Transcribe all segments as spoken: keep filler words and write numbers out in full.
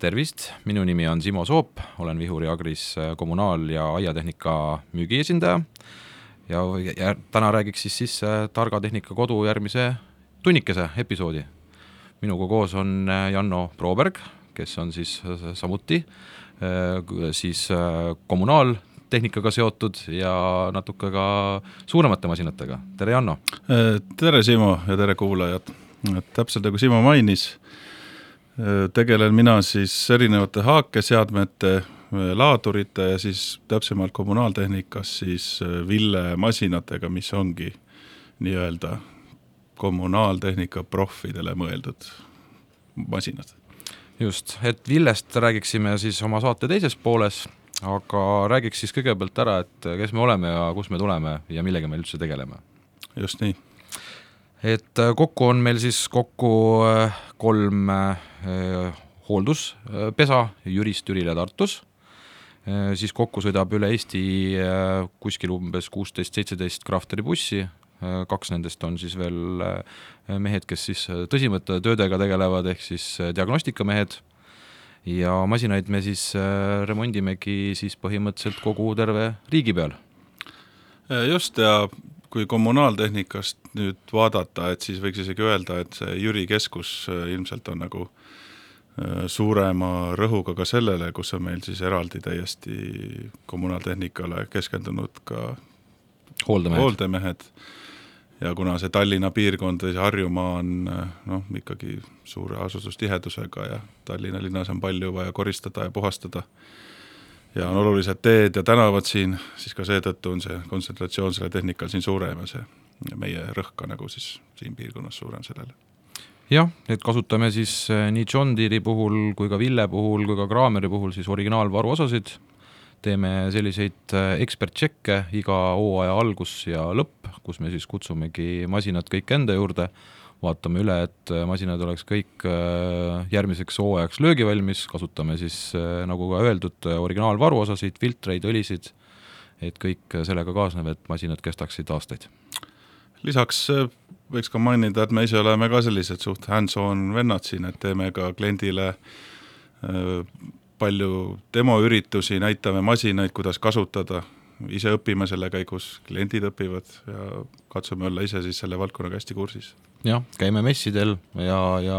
Tervist, minu nimi on Simo Soop, olen Vihuri Agris kommunaal- ja aiatehnika müügiesindaja ja, ja täna räägiks siis, siis Targa Tehnika Kodu järgmise tunnikese episoodi. Minuga koos on Janno Proberg, kes on siis samuti siis kommunaaltehnikaga seotud ja natuke ka suuremate masinatega. Tere Janno! Tere Simo ja tere kuulajad! Täpselt nagu Simo mainis, tegelen mina siis erinevate haakeseadmete, laadurite ja siis täpsemalt kommunaaltehnikas siis Ville masinatega, mis ongi nii-öelda kommunaaltehnika profidele mõeldud masinad. Just, et Villest räägiksime siis oma saate teises pooles, aga räägiks siis kõigepealt ära, et kes me oleme ja kus me tuleme ja millega me üldse tegeleme. Just nii. Et kokku on meil siis kokku kolm eh, hoolduspesa Jürist Türile Tartus. Eh, siis kokku sõidab üle Eesti eh, kuskil umbes kuusteist seitseteist Crafteri bussi. Eh, kaks nendest on siis veel eh, mehed, kes siis tõsimõtte töödega tegelevad, ehk siis diagnostikamehed. Ja masinaid me siis eh, remondimegi siis põhimõtteliselt kogu terve riigi peal. Just, ja kui kommunaaltehnikast nüüd vaadata, et siis võiks isegi öelda, et see Jüri keskus ilmselt on nagu suurema rõhuga ka sellele, kus on meil siis eraldi täiesti kommunaaltehnikale keskendunud ka hooldemehed. hooldemehed. Ja kuna see Tallinna piirkond või see Harjumaa on no, ikkagi suure asustustihedusega ja Tallinna linnas on palju vaja koristada ja puhastada, ja on olulised teed ja tänavad siin, siis ka seetõttu on see kontsentratsioon selle tehnikal siin suurem ja see ja meie rõhka nagu siis siin piirkonnas suurem sellele. Jah, et kasutame siis nii John Deere puhul kui ka Ville puhul kui ka Kraameri puhul siis originaalvaruosasid. Teeme selliseid ekspert-tšekke iga hooaja algus ja lõpp, kus me siis kutsumegi masinad kõik enda juurde. Vaatame üle, et masinad oleks kõik järgmiseks hooajaks löögivalmis, kasutame siis, nagu ka öeldud, originaalvaruosasid, filtreid, õlisid, et kõik sellega kaasnev, et masinad kestaksid aastaid. Lisaks võiks ka mainida, et me ise oleme ka sellised suht hands-on vennad siin, et teeme ka kliendile palju demoüritusi, näitame masinaid, kuidas kasutada, ise õpime selle käigus, kliendid õpivad ja katsume olla ise siis selle valdkonnaga hästi kursis. Jah, käime messidel ja, ja,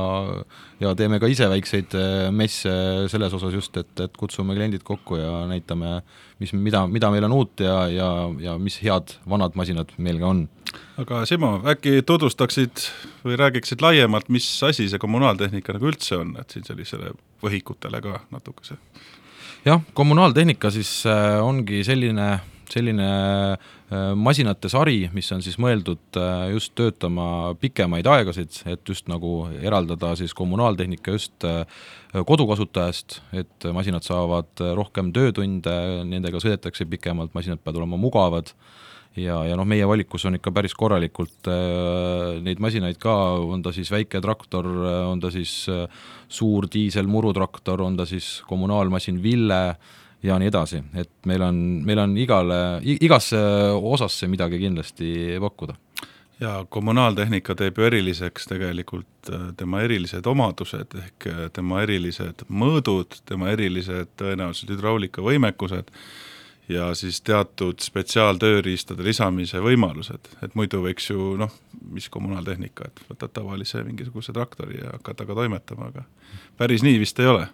ja teeme ka ise väikseid messe selles osas just, et, et kutsume kliendid kokku ja näitame, mis, mida, mida meil on uut ja, ja, ja mis head vanad masinad meil ka on. Aga Simo, äkki tutvustaksid või räägiksid laiemalt, mis asi see kommunaaltehnika nagu üldse on, et siin sellisele võhikutele ka natukese? Jah, kommunaaltehnika siis ongi selline, selline masinate sari, mis on siis mõeldud just töötama pikemaid aegasid, et just nagu eraldada siis kommunaaltehnika just kodukasutajast, et masinad saavad rohkem töötunde, nendega sõidetakse pikemalt, masinad peavad olema mugavad ja, ja noh, meie valikus on ikka päris korralikult neid masinaid ka, on ta siis väike traktor, on ta siis suur diisel murutraktor, on ta siis kommunaalmasin Ville ja nii edasi, et meil on, meil on igale, igasse osasse midagi kindlasti pakkuda. Ja kommunaaltehnika teeb ju eriliseks tegelikult tema erilised omadused ehk tema erilised mõõdud, tema erilised tõenäoliselt hydraulika võimekused ja siis teatud spetsiaaltööriistade lisamise võimalused, et muidu võiks ju, noh, mis kommunaaltehnika, et võtad tavalise mingisuguse traktori ja hakkad aga toimetama, aga päris nii vist ei ole.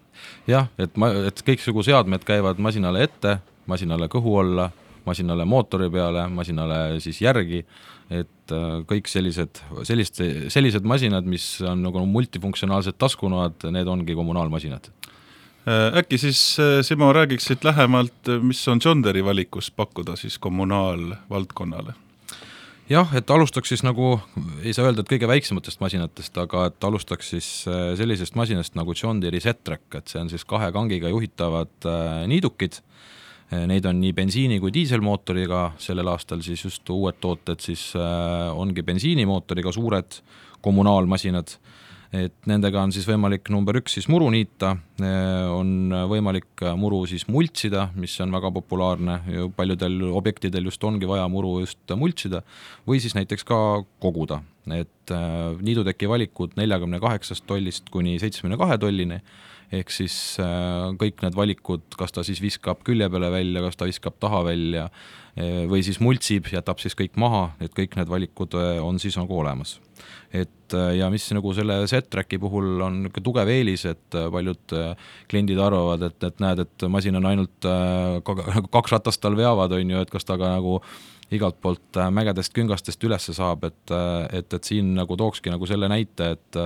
Jah, et, ma, et kõiksugu seadmed käivad masinale ette, masinale kõhu alla, masinale mootori peale, masinale siis järgi, et kõik sellised, sellist, sellised masinad, mis on nagu multifunktsionaalsed taskunoad, need ongi kommunaalmasinad. Äkki siis, Simo, räägiksid lähemalt, mis on John Deere valikus pakkuda siis kommunaalvaldkonnale? Jah, et alustaks siis nagu, ei saa öelda, et kõige väiksematest masinatest, aga et alustaks siis sellisest masinast nagu John Deere Z-Track, et see on siis kahe kangiga juhitavad niidukid. Neid on nii bensiini kui diiselmootoriga, sellel aastal siis just uued tooted siis ongi bensiinimootoriga suured kommunaalmasinad. Et nendega on siis võimalik number üks siis muru niita, on võimalik muru siis multsida, mis on väga populaarne, paljudel objektidel just ongi vaja muru just multsida, või siis näiteks ka koguda. Et niiduteki valikud neljakümne kaheksast tollist kuni seitsmekümne kahe tollini ehk siis kõik need valikud, kas ta siis viskab külje peale välja, kas ta viskab taha välja või siis multsib, jätab siis kõik maha, et kõik need valikud on siis nagu olemas. Et ja mis nagu selle Z-Tracki puhul on tugev eelis, et paljud kliendid arvavad, et, et näed, et masin on ainult kaks ratast tal veavad, on ju, et kas ta ka nagu igalt poolt mägedest küngastest ülesse saab, et, et, et siin nagu tookski nagu selle näite, et,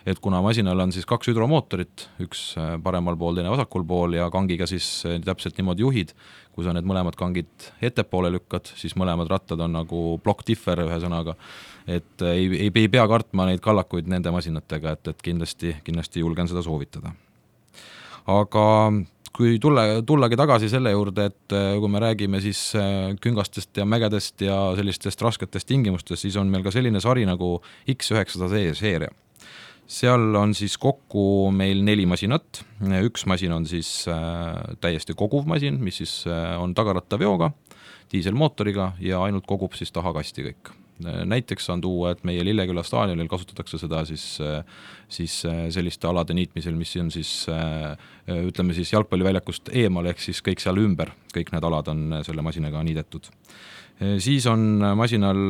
et kuna masinal on siis kaks hüdromootorit, üks paremal pool, teine vasakul pool ja kangiga siis täpselt niimoodi juhid, kui sa need mõlemad kangid ettepoole lükkad, siis mõlemad rattad on nagu block differ ühe sõnaga, et ei, ei, ei pea kartma neid kallakuid nende masinatega, et, et kindlasti, kindlasti julgen seda soovitada. Aga kui tulla, tullagi tagasi selle juurde, et kui me räägime siis küngastest ja mägedest ja sellistest rasketest tingimustest, siis on meil ka selline sari nagu X üheksasada seeria. Seal on siis kokku meil neli masinat, üks masin on siis täiesti koguv masin, mis siis on tagarattaveoga, diiselmootoriga ja ainult kogub siis tahakasti kõik. Näiteks on tuua, et meie Lilleküla staadionil kasutatakse seda siis, siis selliste alade niitmisel, mis on siis, ütleme siis jalgpalliväljakust eemal, ehk siis kõik seal ümber, kõik need alad on selle masinaga niidetud. Siis on masinal,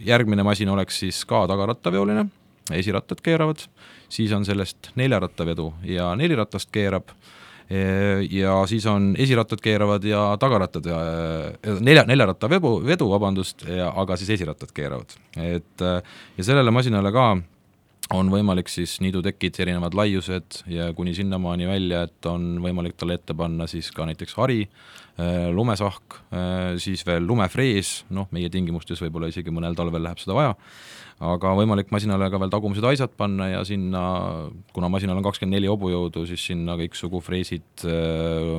järgmine masin oleks siis ka tagarattaveoline, esirattad keeravad, siis on sellest neljarattavedu ja neliratast keerab, ja siis on esirattad keeravad ja tagarattad ja nelja, neljaratta vedu, vedu vabandust, ja, aga siis esirattad keeravad. Et, ja sellele masinale ka on võimalik siis niidutekid, erinevad laiused ja kuni sinnamaani välja, et on võimalik talle ette panna siis ka näiteks hari, lumesahk, siis veel lumefrees, noh, meie tingimustes võib-olla isegi mõnel talvel läheb seda vaja, aga võimalik masinale ka veel tagumised aisad panna ja sinna, kuna masinal on kakskümmend neli hobujõudu, siis sinna kõiksugu freesid,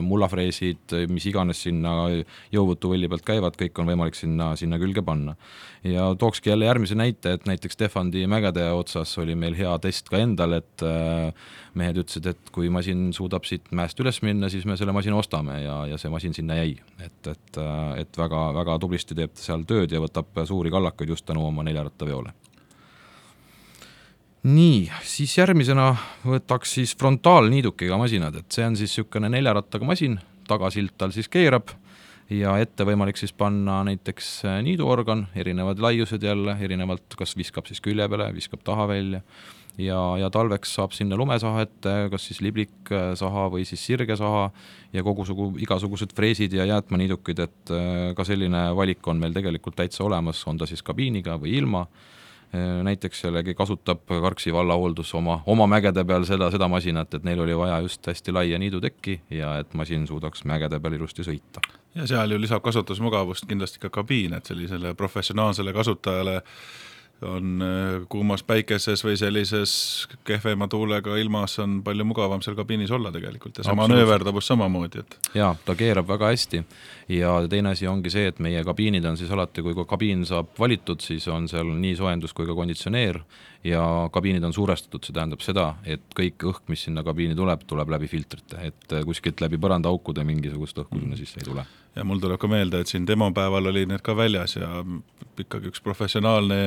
mullafreesid, mis iganes sinna jõuvõtuvõlli pealt käivad, kõik on võimalik sinna, sinna külge panna. Ja tookski jälle järgmise näite, et näiteks Stefandi mägede otsas oli meil hea test ka endal, et mehed ütlesid, et kui masin suudab siit mäest üles minna, siis me selle masina ostame ja, ja see masin sinna jäi. Et, et, et väga, väga tublisti teeb seal tööd ja võtab suuri kallakuid just tänu oma neljarattaveole. Nii, siis järgmisena võtaks siis frontaalniidukiga masinad, et see on siis niisugune neljarattaga masin, tagasilt tal siis keerab ja ette võimalik siis panna näiteks niiduorgan, erinevad laiused jälle, erinevalt kas viskab siis külje peale, viskab taha välja ja, ja talveks saab sinna lumesaha ette, kas siis libliksaha või siis sirgesaha ja kogusugu, igasugused freesid ja jäätmaniidukid, et ka selline valik on meil tegelikult täitsa olemas, on ta siis kabiiniga või ilma. Näiteks jällegi kasutab Karksi vallahooldus oma, oma mägede peal seda, seda masinat, et neil oli vaja just hästi laia niidutekki ja et masin suudaks mägede peal ilusti sõita. Ja seal ju lisab kasutusmugavust kindlasti ka kabiin, et sellisele professionaalsele kasutajale on kuumas päikeses või sellises kehvema tuulega ilmas on palju mugavam seal kabiinis olla tegelikult ja see manööverdavus samamoodi. Et... Jaa, ta keerab väga hästi ja teine asi ongi see, et meie kabiinid on siis alati, kui kabiin saab valitud, siis on seal nii soojendus kui ka konditsioneer ja kabiinid on suurestatud, see tähendab seda, et kõik õhk, mis sinna kabiini tuleb, tuleb läbi filtrite, et kuskilt läbi põrandaaukude mingisugust õhku sinna sisse ei tule. Ja mul tuleb ka meelde, et siin demopäeval oli need ka väljas ja ikkagi üks professionaalne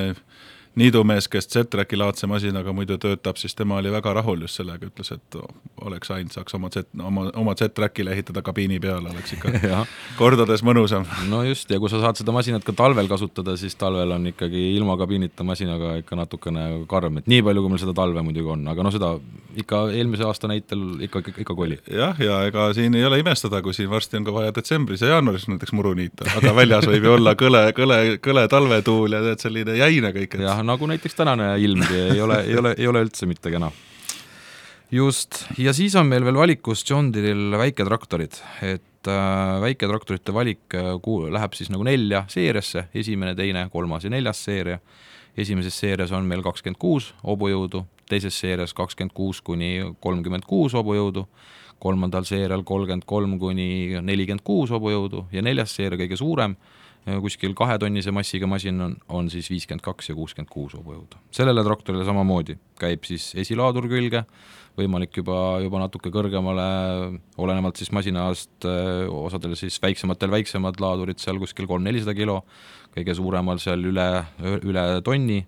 niidumees, kes Z-Tracki laadse masinaga muidu töötab, siis tema oli väga rahul just sellega, ütles, et oleks ainult saaks oma, Z, oma, oma Z-Trackile ehitada kabiini peale, oleks ikka kordades mõnusam. No just, ja kui sa saad seda masinat ka talvel kasutada, siis talvel on ikkagi ilma kabiinita masinaga ikka natukene karm, et nii palju, kui meil seda talve muidugi on, aga no seda ikka eelmise aasta näitel ikka, ikka, ikka koli. Jah, ja ega siin ei ole imestada, kui siin varsti on ka vaja detsembris ja jaanuaris näiteks muru niita, aga väljas võib ju olla kõle, kõle, kõle talvetuul ja teed selline jäine kõik. Jah, nagu näiteks tänane ilmgi ei ole, ei ole, ei ole üldse mitte kena. Just, ja siis on meil veel valikus John Deerel väiketraktorid, et äh, väiketraktorite valik äh, läheb siis nagu nelja seeriasse, esimene, teine, kolmas ja neljas seeria. Esimeses seerias on meil kakskümmend kuus hobujõudu, teises seerias kakskümmend kuus kuni kolmkümmend kuus hobujõudu, kolmandal seerial kolmkümmend kolm kuni nelikümmend kuus hobujõudu ja neljas seeria kõige suurem, kuskil kahetonnise massiga masin on, on siis viiskümmend kaks ja kuuskümmend kuus hobujõudu. Sellele traktorile samamoodi käib siis esilaadur külge, võimalik juba, juba natuke kõrgemale, olenevalt siis masinast, osadel siis väiksematel väiksemad laadurid seal kuskil kolm-nelisada kilo, kõige suuremal seal üle, üle tonni.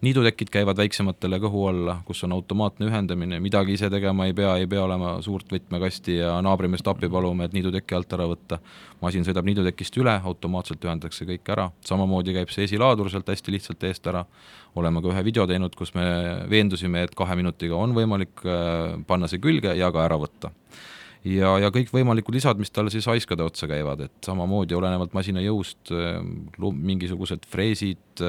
Niidutekid käivad väiksematele kõhu alla, kus on automaatne ühendamine, midagi ise tegema ei pea, ei pea olema suurt võtmekasti ja naabrimeest appi palume, et niiduteki alt ära võtta. Masin sõidab niidutekist üle, automaatselt ühendatakse kõik ära. Samamoodi käib see esilaadur sealt hästi lihtsalt eest ära. Oleme ka ühe video teinud, kus me veendusime, et kahe minutiga on võimalik panna see külge ja ka ära võtta. Ja, ja kõik võimalikud lisad, mis talle siis haiskade otsa käivad, et samamoodi olenevalt masina jõust, mingisugused freesid,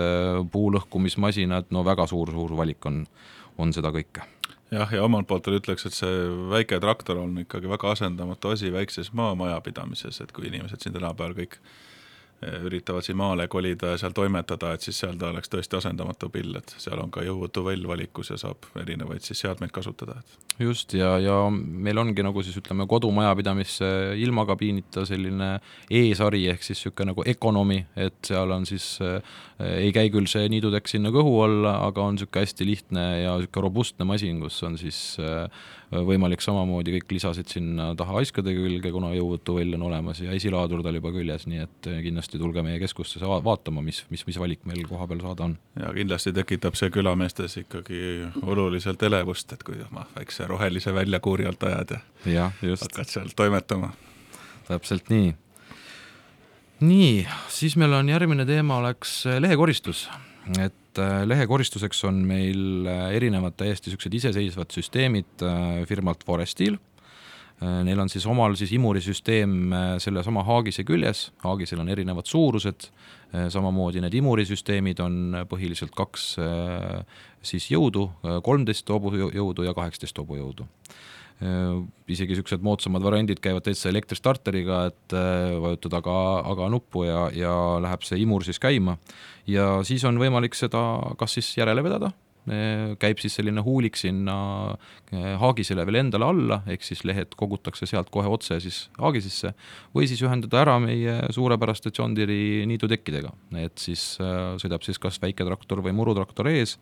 puulõhkumismasinad, no väga suur, suur valik on, on seda kõike. Jah, ja omalt poolt ütleks, et see väike traktor on ikkagi väga asendamatu asi väikses maamajapidamises, et kui inimesed siin tänapäeval kõik üritavad siin maale kolida ja seal toimetada, et siis seal ta oleks tõesti asendamatu pill, et seal on ka jõuvutu võll valikus ja saab erinevaid siis seadmeid kasutada. Just, ja, ja meil ongi nagu siis ütleme kodumajapidamisse ilmakabiinita selline E-sari ehk siis siuke nagu ekonomi, et seal on siis äh, ei käi küll see niidutek sinna kõhu alla, aga on siuke hästi lihtne ja siuke robustne masin, kus on siis äh, võimalik samamoodi kõik lisasid sinna taha haiskade külge, kuna jõuvutu võll on olemas ja esilaadur tal juba küljes, nii et kindlasti tulge meie keskusse vaatama, mis, mis, mis valik meil koha peal saada on. Ja kindlasti tekitab see külameestes ikkagi oluliselt elevust, et kui oma väikse rohelise väljakuuri alt ajad ja, ja just. hakkad seal toimetama. Täpselt nii. Nii, siis meil on järgmine teema oleks lehekoristus, et lehekoristuseks on meil erinevad täiesti siuksed iseseisvad süsteemid firmalt Forestil. Neil on siis omal siis imurisüsteem selle sama haagise küljes, haagisel on erinevad suurused, samamoodi need imurisüsteemid on põhiliselt kaks siis jõudu, kolmteist hobujõudu ja kaheksateist hobujõudu. Isegi siuksed moodsamad variandid käivad täitsa elektristarteriga, et vajutad aga, aga nuppu ja, ja läheb see imur siis käima ja siis on võimalik seda kas siis järele vedada, käib siis selline huulik sinna haagisele veel endale alla, ehk siis lehed kogutakse sealt kohe otse siis haagisisse või siis ühendada ära meie suurepäraste John Deere niidutekkidega, et siis sõidab siis kas väike traktor või murutraktor ees,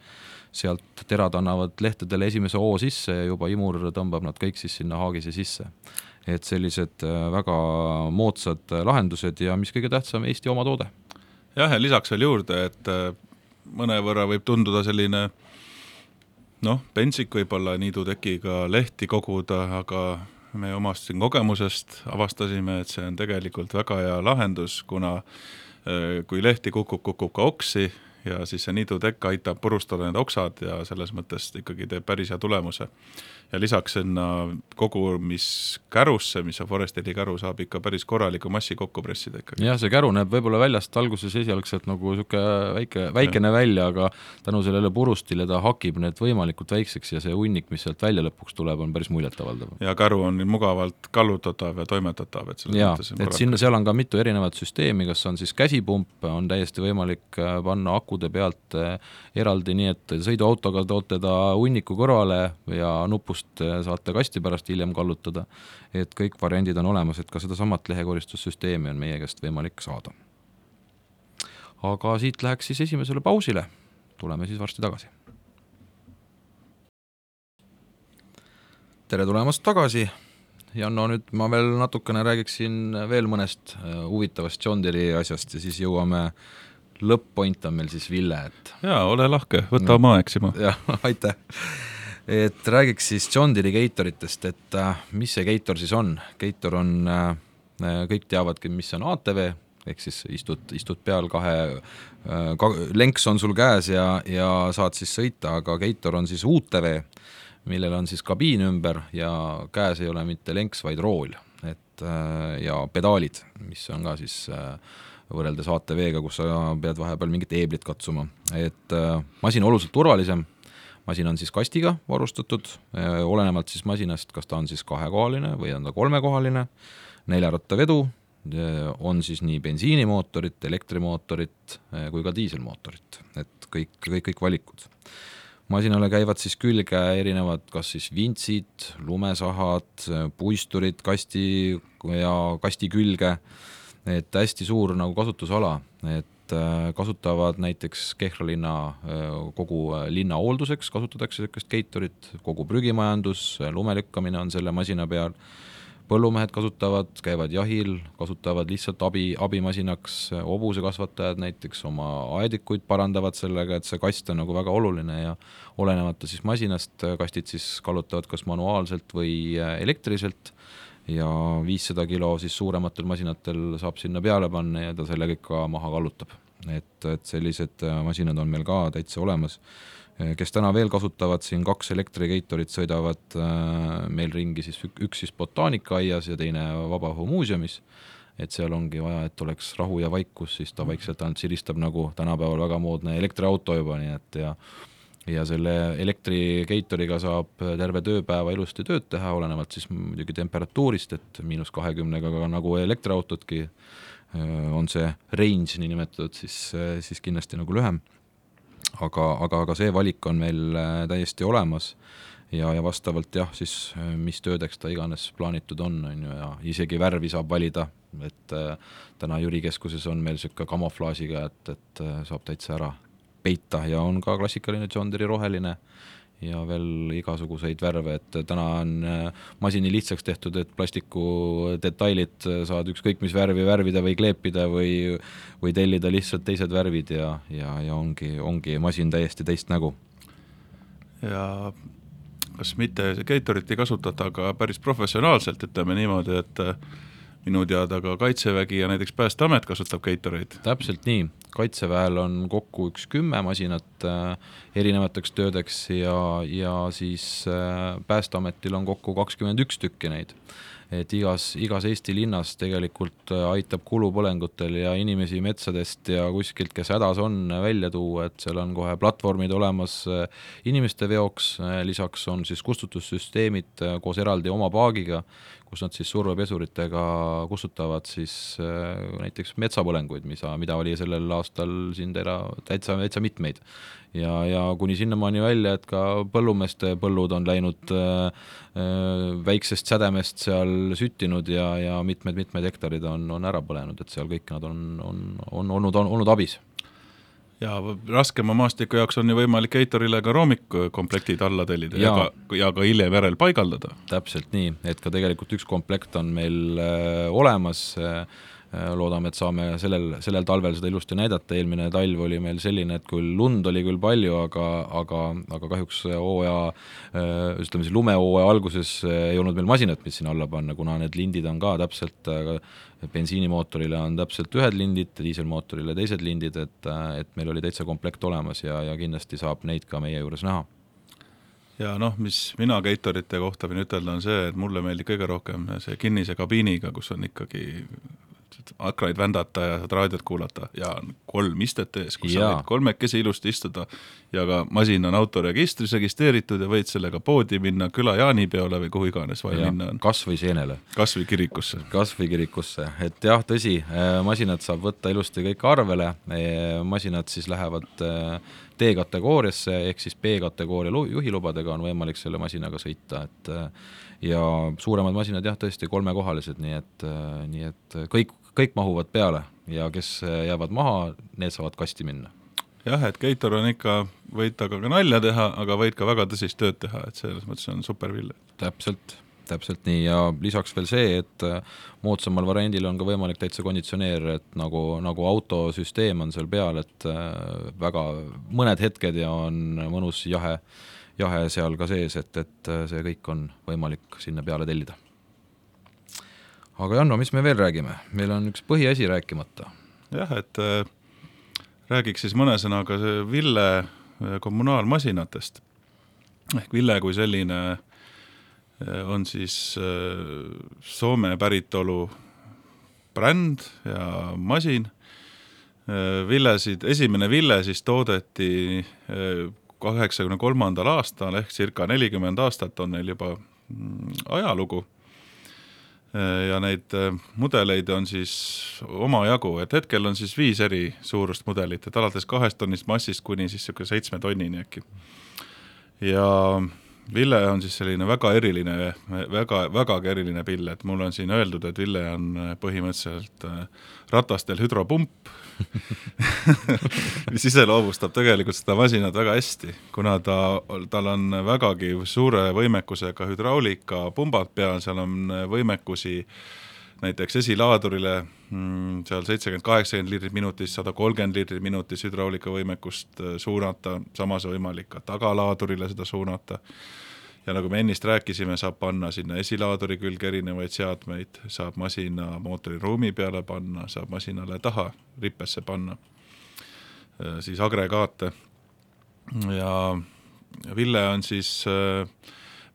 sealt terad annavad lehtedele esimese oo sisse ja juba imur tõmbab nad kõik siis sinna haagise sisse. Et sellised väga moodsad lahendused ja mis kõige tähtsam, Eesti oma toode. Jah, ja lisaks veel juurde, et mõne võrra võib tunduda selline noh, pensik võib-olla niidutekiga lehti koguda, aga me omast siin kogemusest avastasime, et see on tegelikult väga hea lahendus, kuna kui lehti kukub, kukub ka oksi ja siis see niidutekk aitab purustada need oksad ja selles mõttes ikkagi teeb päris hea tulemuse. Ja lisaks sinna kogumiskärusse, mis on Forestili käru, saab ikka päris korraliku massi kokku pressida ikkagi. Jah, see käru näeb võib-olla väljast alguses esialgselt nagu siuke väike, väikene ja. välja, aga tänu sellele purustile ta hakib need võimalikult väikseks ja see hunnik, mis sealt välja lõpuks tuleb, on päris muljetavaldav. Ja käru on mugavalt kallutatav ja toimetatav. Et ja, et sinna, seal on ka mitu erinevat süsteemi, kas on siis käsipump, on täiesti võimalik panna akude pealt eraldi, nii et sõiduautoga toote ta hunniku kõrvale ja nupust saate kasti pärast hiljem kallutada, et kõik variandid on olemas, et ka seda samat lehekoristussüsteemi on meie käest võimalik saada. Aga siit läheks siis esimesele pausile, tuleme siis varsti tagasi. Tere tulemast tagasi, Janno, nüüd ma veel natukene räägiksin veel mõnest huvitavast John Deere asjast ja siis jõuame lõpp-point on meil siis Ville, et... Jaa, ole lahke, võta oma eksima. Jah, aitäh. Et räägiks siis John Deere Gatoritest, et äh, mis see Gator siis on? Gator on, äh, kõik teavadki, mis on A T V, ehk siis istud, istud peal kahe, äh, ka, lenks on sul käes ja, ja saad siis sõita, aga Gator on siis U T V, millel on siis kabiin ümber ja käes ei ole mitte lenks, vaid rool, et, äh, ja pedaalid, mis on ka siis... Äh, võrreldes A T V-ga, kus sa pead vahepeal mingit eeblit katsuma. Et äh, masin oluliselt turvalisem, masin on siis kastiga varustatud, äh, olenevalt siis masinast, kas ta on siis kahekohaline või on ta kolmekohaline, neljaratta vedu, äh, on siis nii bensiinimootorit, elektrimootorit äh, kui ka diiselmootorit, et kõik, kõik, kõik valikud. Masinale käivad siis külge erinevad, kas siis vintsid, lumesahad, puisturid, kasti ja kasti külge, et hästi suur nagu kasutusala, et kasutavad näiteks Kehra linna kogu linna hoolduseks, kasutatakse sellist Gatorit, kogu prügimajandus, lumelükkamine on selle masina peal, põllumehed kasutavad, käivad jahil, kasutavad lihtsalt abi, abimasinaks, hobusekasvatajad näiteks oma aedikuid parandavad sellega, et see kast on nagu väga oluline ja olenemata siis masinast, kastid siis kallutavad kas manuaalselt või elektriliselt ja viissada kilo siis suurematel masinatel saab sinna peale panna ja ta selle kõik ka maha kallutab. Et, et sellised masinad on meil ka täitsa olemas. Kes täna veel kasutavad, siin kaks elektrigeitorit sõidavad meil ringi, siis üks siis botaanikaaias ja teine Vabaõhumuuseumis, et seal ongi vaja, et oleks rahu ja vaikus, siis ta vaikselt ainult siristab nagu tänapäeval väga moodne elektriauto juba, nii et ja ja selle elektrigeitoriga saab terve tööpäeva ilusti tööd teha, olenevalt siis muidugi temperatuurist, et miinus kahekümnega ka nagu elektriautodki on see range nii nimetatud, siis, siis kindlasti nagu lühem. Aga, aga, aga see valik on meil täiesti olemas ja, ja vastavalt jah, siis mis töödeks ta iganes plaanitud on, on ju, ja isegi värvi saab valida, et täna Jüri keskuses on meil selline kamuflaažiga, et, et saab täitsa ära peita ja on ka klassikaline John Deere roheline ja veel igasuguseid värve, et täna on masini lihtsaks tehtud, et plastiku detailid saad ükskõik mis värvi värvida või kleepida või, või tellida lihtsalt teised värvid ja, ja, ja ongi, ongi masin täiesti teist nägu. Ja kas mitte Gatorit ei kasutata aga päris professionaalselt, ütleme niimoodi, et minu teada ka Kaitsevägi ja näiteks Päästeamet kasutab Gatoreid. Täpselt nii. Kaitseväel on kokku üks kümme masinat äh, erinevateks töödeks ja, ja siis äh, Päästeametil on kokku kakskümmend üks tükki neid. Et igas, igas Eesti linnas tegelikult aitab kulupõlengutel ja inimesi metsadest ja kuskilt, kes hädas on, välja tuua, et seal on kohe platvormid olemas inimeste veoks, lisaks on siis kustutussüsteemid koos eraldi oma paagiga, kus nad siis survepesuritega kustutavad siis näiteks metsapõlenguid, mida, mida oli sellel aastal siin tera, täitsa, täitsa mitmeid. Ja, ja kuni sinnamaani välja, et ka põllumeeste põllud on läinud äh, väiksest sädemest seal süttinud ja, ja mitmed-mitmed hektarid on, on ära põlenud, et seal kõik nad on, on, on olnud, on, olnud abis. Ja raskema maastiku jaoks on ju võimalik Gatorile ka roomikkomplektid alla tellida ja, ja, ka, ja ka hiljem järel paigaldada. Täpselt nii, et ka tegelikult üks komplekt on meil äh, olemas, äh, loodame, et saame sellel, sellel talvel seda ilusti näidata. Eelmine talv oli meil selline, et küll lund oli küll palju, aga, aga, aga kahjuks hooaja, ütleme siis lumehooaja alguses ei olnud meil masinat, mis siin alla panna, kuna need lindid on ka täpselt, bensiinimootorile on täpselt ühed lindid, diiselmootorile teised lindid, et, et meil oli täitsa komplekt olemas ja, ja kindlasti saab neid ka meie juures näha. Ja noh, mis mina Gatorite kohta võin ütelda on see, et mulle meeldib kõige rohkem see kinnise kabiiniga, kus on ikkagi akraid vändata ja saad raadiot kuulata ja kolm istet ees, kus sa võid kolmekesi ilusti istuda ja ka masin on autoregistris registeeritud ja võid sellega poodi minna küla jaanipeole või kuhu iganes vaja minna on. Kas või seenele. Kas või kirikusse. Kas või kirikusse, et jah, tõsi, masinad saab võtta ilusti kõik arvele, masinad siis lähevad D-kategooriasse, ehk siis B-kategooria juhilubadega on võimalik selle masinaga sõita, et ja suuremad masinad jah, tõesti kolmekohalised, nii et, nii et kõik, kõik mahuvad peale ja kes jäävad maha, need saavad kasti minna. Jah, et Gator on ikka, võid aga ka nalja teha, aga võid ka väga tõsist tööd teha, et selles mõttes on superville. Täpselt, täpselt nii ja lisaks veel see, et moodsamal variandil on ka võimalik täitsa konditsioneer, et nagu, nagu autosüsteem on seal peal, et väga mõned hetked ja on mõnus jahe, jahe seal ka sees, et, et see kõik on võimalik sinna peale tellida. Aga Janno, mis me veel räägime? Meil on üks põhiasi rääkimata. Jah, et äh, räägiks siis mõne sõnaga see Ville kommunaalmasinatest. Ehk Ville kui selline on siis äh, Soome päritolu bränd ja masin. Äh, Villesid, esimene Ville siis toodeti äh, kaheksakümne kolmandal aastal ehk circa nelikümmend aastat on neil juba ajalugu ja neid mudeleid on siis oma jagu, et hetkel on siis viis eri suurust mudelit, et alates kahest tonnist massist kuni siis seitsme tonnini äkki. Ja Ville on siis selline väga eriline, väga, väga eriline pill, et mul on siin öeldud, et Ville on põhimõtteliselt ratastel hüdropump, mis iseloomustab tegelikult seda masinat väga hästi, kuna ta, tal on vägagi suure võimekusega hüdraulika pumbad peal, seal on võimekusi näiteks esilaadurile seal seitsekümmend kaheksakümmend liitrit minutis, sada kolmkümmend liitrit minutis hüdraulika võimekust suunata, samas võimalik ka tagalaadurile seda suunata. Ja nagu me ennist rääkisime, saab panna sinna esilaaduri külge erinevaid seadmeid, saab masina mootori ruumi peale panna, saab masinale taha rippesse panna, siis agregaate. Ja Ville on siis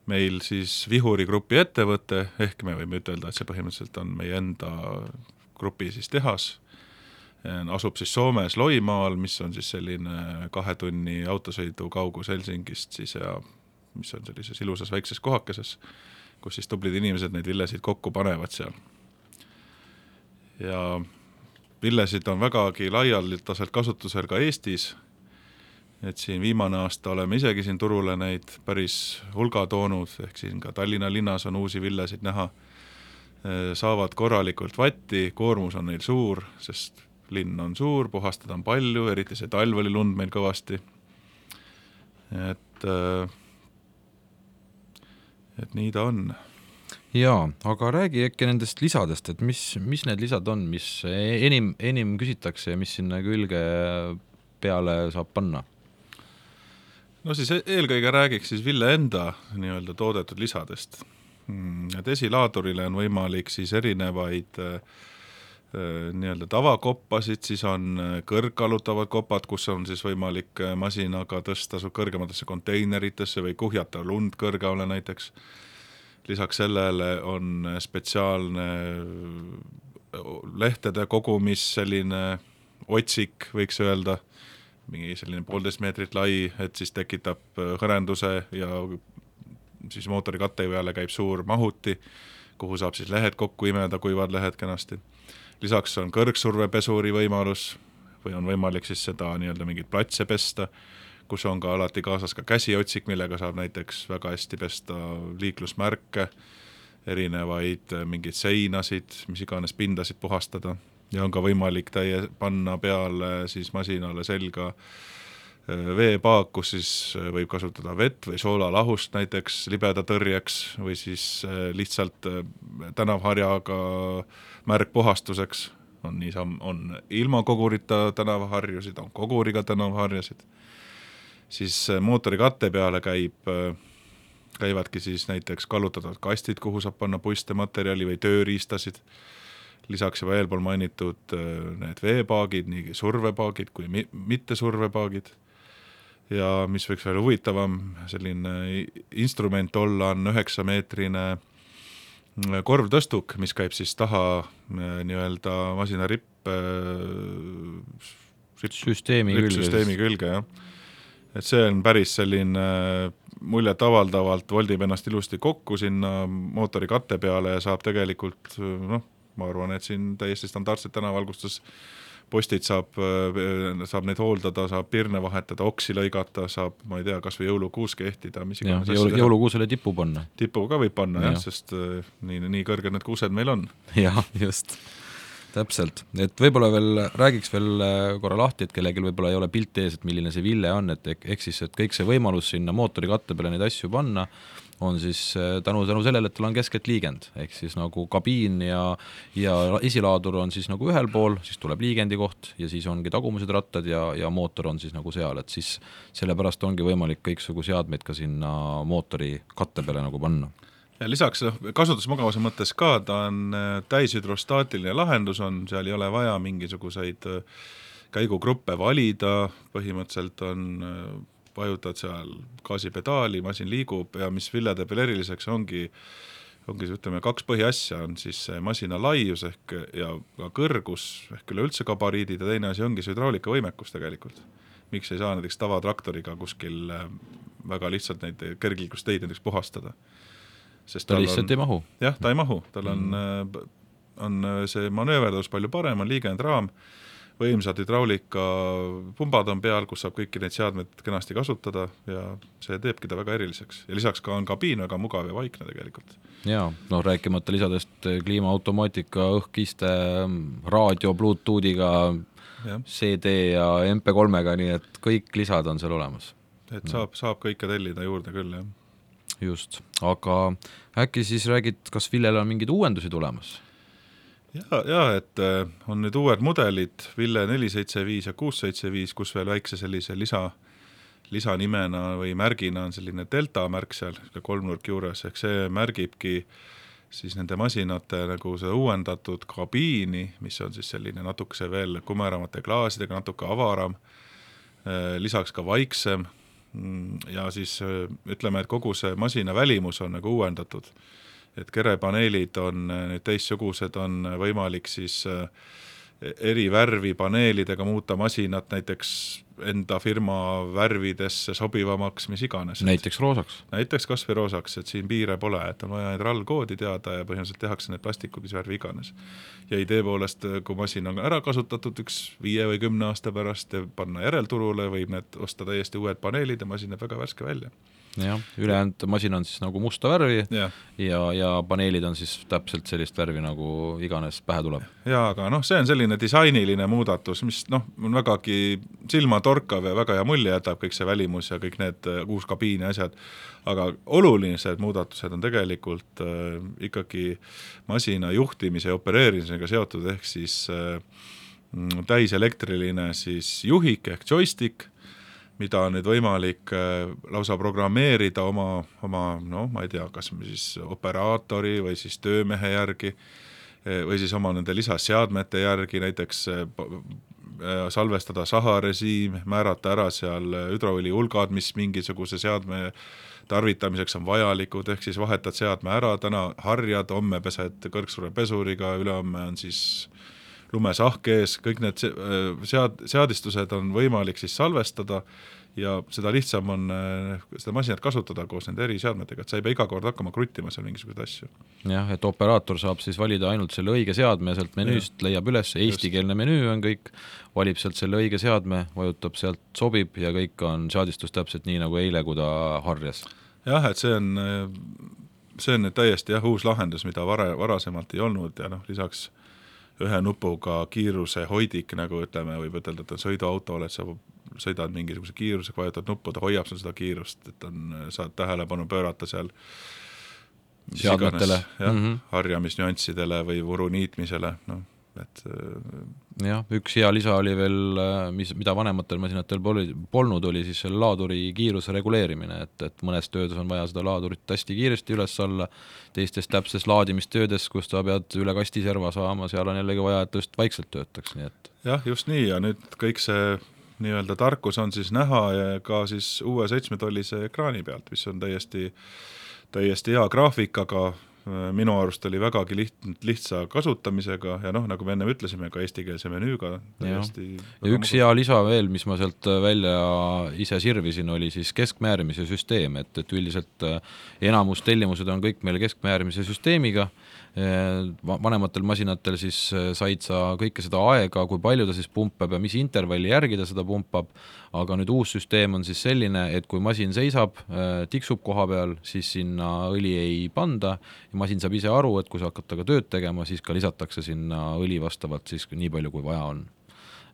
meil siis Vihuri grupi ettevõte, ehk me võime ütelda, et see põhimõtteliselt on meie enda grupi siis tehas, asub siis Soomes Loimaal, mis on siis selline kahe tunni autosõidu kaugus Helsingist siis ja mis on sellises ilusas väikses kohakeses, kus siis tublid inimesed neid villesid kokku panevad seal. Ja villesid on vägagi laialdaselt kasutusel ka Eestis, et siin viimane aasta oleme isegi siin turule neid päris hulga toonud, ehk siin ka Tallinna linnas on uusi villesid näha, saavad korralikult vatti, koormus on neil suur, sest linn on suur, puhastada on palju, eriti see talv oli lund meil kõvasti. Et, et nii ta on. Jaa, aga räägi äkki nendest lisadest, et mis, mis need lisad on, mis enim, enim küsitakse ja mis sinna külge peale saab panna? No siis eelkõige räägiks siis Ville enda nii-öelda toodetud lisadest. Et esilaadurile on võimalik siis erinevaid nii-öelda tavakoppasid, siis on kõrgkallutavad kopad, kus on siis võimalik masinaga tõsta kõrgematesse konteineritesse või kuhjata lund kõrgale näiteks. Lisaks sellele on spetsiaalne lehtede kogumis selline otsik, võiks öelda, mingi selline poolteist meetrit lai, et siis tekitab hõrenduse ja siis mootori katte peale käib suur mahuti, kuhu saab siis lehed kokku imeda, kuivad lehed kenasti. Lisaks on kõrgsurvepesuri võimalus või on võimalik siis seda nii-öelda mingit platse pesta, kus on ka alati kaasas ka käsiotsik, millega saab näiteks väga hästi pesta liiklusmärke, erinevaid mingeid seinasid, mis iganes pindasid puhastada. Ja on ka võimalik täie panna peale siis masinale selga veepaak, kus siis võib kasutada vett või soolalahust näiteks libeda tõrjeks või siis lihtsalt tänavharjaga märkpuhastuseks. On, nii, on ilma kogurita tänavaharjusid, on koguriga tänavaharjasid. Siis mootori katte peale käib, käivadki siis näiteks kallutatavad kastid, kuhu saab panna puiste materjali või tööriistasid. Lisaks juba eelpool mainitud need veepaagid, nii survepaagid kui mitte survepaagid. Ja mis võiks veel huvitavam, selline instrument olla on üheksa meetrine korvtõstuk, mis käib siis taha nii-öelda masina ripp, ripp süsteemi külge. Süsteemi külge, jah. Et see on päris selline muljet avaldavalt, voldib ennast ilusti kokku sinna mootori katte peale ja saab tegelikult, noh, ma arvan, et siin täiesti standardset tänavalgustus postid saab, saab neid hooldada, saab pirne vahetada, oksi lõigata, saab, ma ei tea, kas või jõulukuus kehtida. Mis ja, jõulu, jõulukuusele tipu panna. Tipu ka võib panna, ja. Jah, sest nii, nii kõrged need kuused meil on. Jah, just. Täpselt. Et võib-olla veel räägiks veel korra lahti, et kellelgi võib-olla ei ole pilt ees, et milline see Ville on, et ehk siis, et kõik see võimalus sinna mootori katte peale neid asju panna on siis tänu, tänu sellele, et tal on keskelt liigend, ehk siis nagu kabiin ja, ja esilaadur on siis nagu ühel pool, siis tuleb liigendi koht ja siis ongi tagumused rattad ja, ja mootor on siis nagu seal, et siis sellepärast ongi võimalik kõiksugu seadmeid ka sinna mootori katte peale nagu panna. Ja lisaks kasutusmugavuse mõttes ka, ta on täishüdrostaatiline lahendus on, seal ei ole vaja mingisuguseid käigugruppe valida, põhimõtteliselt on vajutad seal gaasipedaali, masin liigub ja mis Ville teeb veel eriliseks ongi, ongi ütleme, kaks põhiasja on siis masina laius ehk ja kõrgus ehk üle üldse gabariidid ja teine asi ongi see hüdraulika võimekus tegelikult. Miks ei saa näiteks tavatraktoriga kuskil väga lihtsalt neid kergliikusteid näiteks puhastada? Sest ta lihtsalt on, ei mahu. Jah, ta ei mahu, tal on, mm. on see manööverdus palju parem, on liigend raam, võimsad hüdraulika pumbad on peal, kus saab kõiki neid seadmeid kenasti kasutada ja see teebki ta väga eriliseks. Ja lisaks ka on kabiin väga mugav ja vaikne tegelikult. Jaa, noh rääkimata lisadest kliimaautomaatika, õhkiste, raadio, Bluetoothiga, ja. C D ja M P kolmega, nii et kõik lisad on seal olemas. Et no. saab, saab kõike tellida juurde küll, jah. Just, aga äkki siis räägid, kas Villel on mingid uuendusi tulemas? Ja, ja, et on nüüd uued mudelid, Ville neli seitse viis ja kuus seitse viis, kus veel väikse sellise lisa, lisanimena või märgina on selline delta märk seal, kolmnurk juures, ehk see märgibki siis nende masinate nagu see uuendatud kabiini, mis on siis selline natukese veel kumeramate klaasidega, natuke avaram, lisaks ka vaiksem ja siis ütleme, et kogu see masina välimus on nagu uuendatud. Et kerepaneelid on nüüd teistsugused, on võimalik siis eri värvi paneelidega muuta masinat näiteks enda firma värvidesse sobivamaks, mis iganes. Näiteks roosaks? Näiteks kas või roosaks, et siin piire pole, et on vaja neid R A L-koodi teada ja põhimõtteliselt tehakse need plastikud, mis värvi iganes. Ja idee poolest, kui masin on ära kasutatud üks viie või kümne aasta pärast ja panna järelturule, võib need osta täiesti uued paneelid ja masin näeb väga värske välja. Jah, ülejäänud masin on siis nagu musta värvi ja. Ja, ja paneelid on siis täpselt sellist värvi nagu iganes pähe tuleb. Ja, aga noh, see on selline disainiline muudatus, mis noh, on vägagi silmatorkav ja väga hea mulje jätab kõik see välimus ja kõik need uus kabiin ja asjad, aga olulised muudatused on tegelikult äh, ikkagi masina juhtimise ja opereerimisega seotud, ehk siis äh, täiselektriline siis juhik ehk joystick, mida on nüüd võimalik lausa programmeerida oma, oma no ma ei tea, kas siis operaatori või siis töömehe järgi või siis oma nende lisaseadmete järgi, näiteks salvestada saharežiim, määrata ära seal hüdroõli hulgad, mis mingisuguse seadme tarvitamiseks on vajalikud, ehk siis vahetad seadme ära, täna harjad, homme pesed kõrgsuure pesuriga, ülehomme on siis lumesahk ees, kõik need sead, seadistused on võimalik siis salvestada ja seda lihtsam on seda masinat kasutada koos nende eri seadmetega, et sa ei pea iga kord hakkama kruttima seal mingisuguseid asju. Jah, et operaator saab siis valida ainult selle õige seadme sealt menüüst, ja. Leiab üles, eestikeelne menüü on kõik, valib sealt selle õige seadme, vajutab sealt sobib ja kõik on seadistus täpselt nii nagu eile, kui ta harjas. Jah, et see on, see on täiesti jah, uus lahendus, mida vara, varasemalt ei olnud ja noh, lisaks ühe nupuga kiiruse hoidik, nagu ütleme, võib ütelda, et on sõiduauto, et sa sõidad mingisuguse kiiruse, vajutad nuppu, ta hoiab sul seda kiirust, et on, saad tähelepanu pöörata seal seadmetele, jah, mm -hmm. harjamisnüanssidele või vuru niitmisele, noh, et jah, üks hea lisa oli veel, mis, mida vanematel masinatel poli, polnud, oli siis selle laaduri kiiruse reguleerimine, et, et mõnes töödes on vaja seda laadurit hästi kiiresti üles alla, teistes täpses laadimistöödes, kus ta pead üle kastiserva saama, seal on jällegi vaja, et tõest vaikselt töötaks, nii et jah, just nii ja nüüd kõik see nii-öelda tarkus on siis näha ja ka siis uue seitsmetollise ekraani pealt, mis on täiesti, täiesti hea graafikaga, minu arust oli vägagi liht, lihtsa kasutamisega ja noh, nagu me enne ütlesime, ka eestikeelse menüüga täiesti ja üks hea lisa veel, mis ma sealt välja ise sirvisin, oli siis keskmäärimise süsteem, et, et üldiselt enamus tellimused on kõik meil keskmäärimise süsteemiga, vanematel masinatel siis said sa kõike seda aega, kui palju ta siis pumpab ja mis intervalli järgi ta seda pumpab, aga nüüd uus süsteem on siis selline, et kui masin seisab, tiksub koha peal, siis sinna õli ei panda ja masin saab ise aru, et kui sa hakkad taga tööd tegema, siis ka lisatakse sinna õli vastavalt siis nii palju, kui vaja on.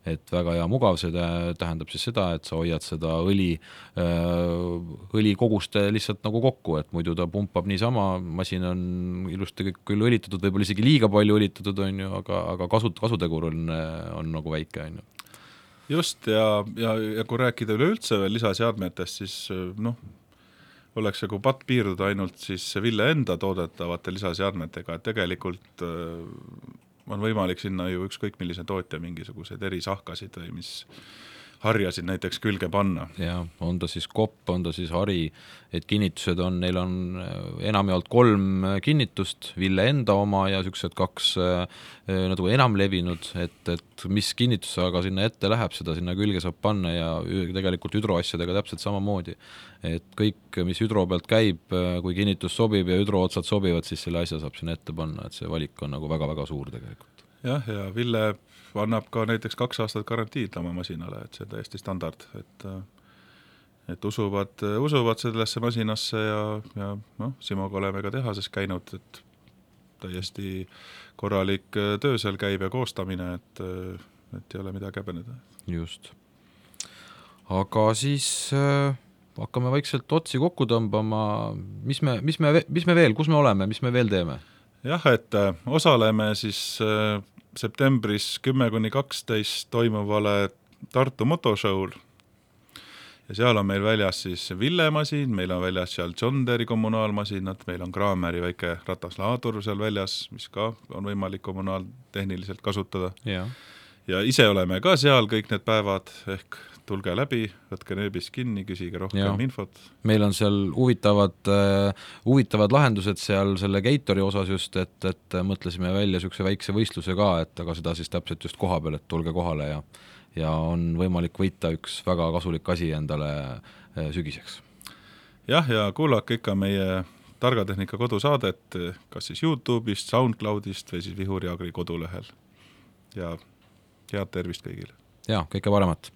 Et väga hea mugav, see tähendab siis seda, et sa hoiad seda õli, õli koguste lihtsalt nagu kokku, et muidu ta pumpab niisama, masin on ilusti kõik küll õlitatud, võib-olla isegi liiga palju õlitatud on ju, aga, aga kasut, kasutegur on, on nagu väike on ju. Just ja, ja, ja kui rääkida üleüldse veel lisaseadmetest, siis noh, oleks nagu patt piirduda ainult siis Ville enda toodetavate lisaseadmetega, et tegelikult on võimalik sinna ju ükskõik millise tootja mingisuguseid erisahkasid või mis harjasid näiteks külge panna. Ja on ta siis kopp, on ta siis hari, et kinnitused on, neil on enamjaolt kolm kinnitust, Ville enda oma ja süksed kaks nagu enam levinud, et, et mis kinnitus aga sinna ette läheb, seda sinna külge saab panna ja tegelikult hüdroasjadega täpselt samamoodi. Et kõik, mis hüdro pealt käib, kui kinnitus sobib ja hüdrootsad sobivad, siis selle asja saab sinna ette panna, et see valik on nagu väga-väga suur tegelikult. jah, ja Ville annab ka näiteks kaks aastat garantiid oma masinale, et see on täiesti standard, et et usuvad, usuvad sellesse masinasse ja, ja noh, Simoga oleme ka tehases käinud, et täiesti korralik töö seal käib ja koostamine, et, et ei ole midagi häbeneda. Just. Aga siis äh, hakkame vaikselt otsi kokku tõmbama, mis me, mis me, mis me veel, kus me oleme, mis me veel teeme? Jah, et osaleme siis äh, septembris kümme kuni kaksteist toimuvale Tartu motoshow'l ja seal on meil väljas siis Ville masin, meil on väljas seal John Deere kommunaalmasinad, meil on Kraameri väike rataslaadur seal väljas, mis ka on võimalik kommunaaltehniliselt kasutada. Ja. ja ise oleme ka seal kõik need päevad, ehk tulge läbi, võtke nööbist kinni, küsige rohkem ja. infot. Meil on seal huvitavad, uh, huvitavad lahendused seal selle Gatori osas just, et, et mõtlesime välja niisuguse väikse võistluse ka, et aga seda siis täpselt just koha peal, et tulge kohale ja ja on võimalik võita üks väga kasulik asi endale sügiseks. Jah, ja kuulake ikka meie Targatehnika kodusaadet, kas siis YouTube'ist, SoundCloudist või siis Vihuri Agri kodulehel. Ja head tervist kõigile! Ja, kõike paremat!